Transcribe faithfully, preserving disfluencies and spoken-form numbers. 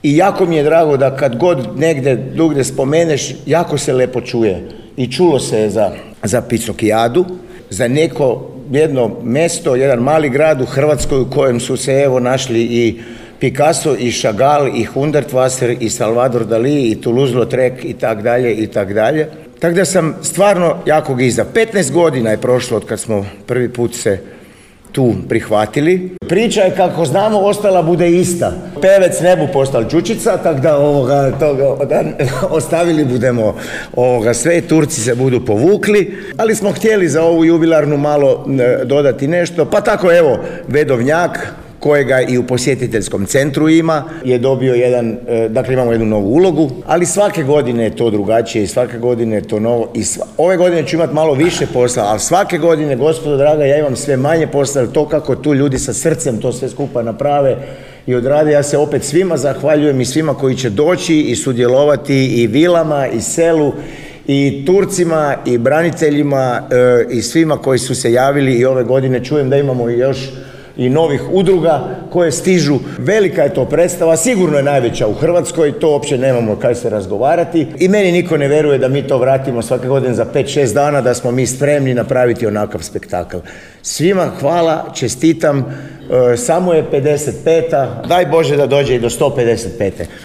I jako mi je drago da kad god negdje drugdje spomeneš, jako se lepo čuje. I čulo se je za, za Picokijadu, za neko jedno mjesto, jedan mali grad u Hrvatskoj u kojem su se evo našli i Picasso, i Chagall, i Hundertwasser, i Salvador Dali, i Toulouse-Lautrec, i tak dalje, i tak dalje. Tako da sam stvarno jako gizda. petnaest godina je prošlo od kad smo prvi put se tu prihvatili. Priča je, kako znamo, ostala bude ista. Pevec ne bu postao čučica, tako da ovoga, toga, da, ostavili budemo ovoga, sve, Turci se budu povukli, ali smo htjeli za ovu jubilarnu malo dodati nešto, pa tako evo, Vedovnjak, kojega i u posjetiteljskom centru ima, je dobio jedan, dakle imamo jednu novu ulogu, ali svake godine je to drugačije i svake godine je to novo i sva, ove godine ću imati malo više posla, ali svake godine, gospodo draga, ja imam sve manje posla, to kako tu ljudi sa srcem to sve skupa naprave i odrade, ja se opet svima zahvaljujem i svima koji će doći i sudjelovati i vilama i selu i Turcima i braniteljima e, i svima koji su se javili i ove godine čujem da imamo još i novih udruga koje stižu. Velika je to predstava, sigurno je najveća u Hrvatskoj, to uopće nemamo kaj se razgovarati i meni niko ne veruje da mi to vratimo svake godine za pet šest dana, da smo mi spremni napraviti onakav spektakl. Svima hvala, čestitam, e, samo je pedeset peta, daj Bože da dođe i do sto pedeset pete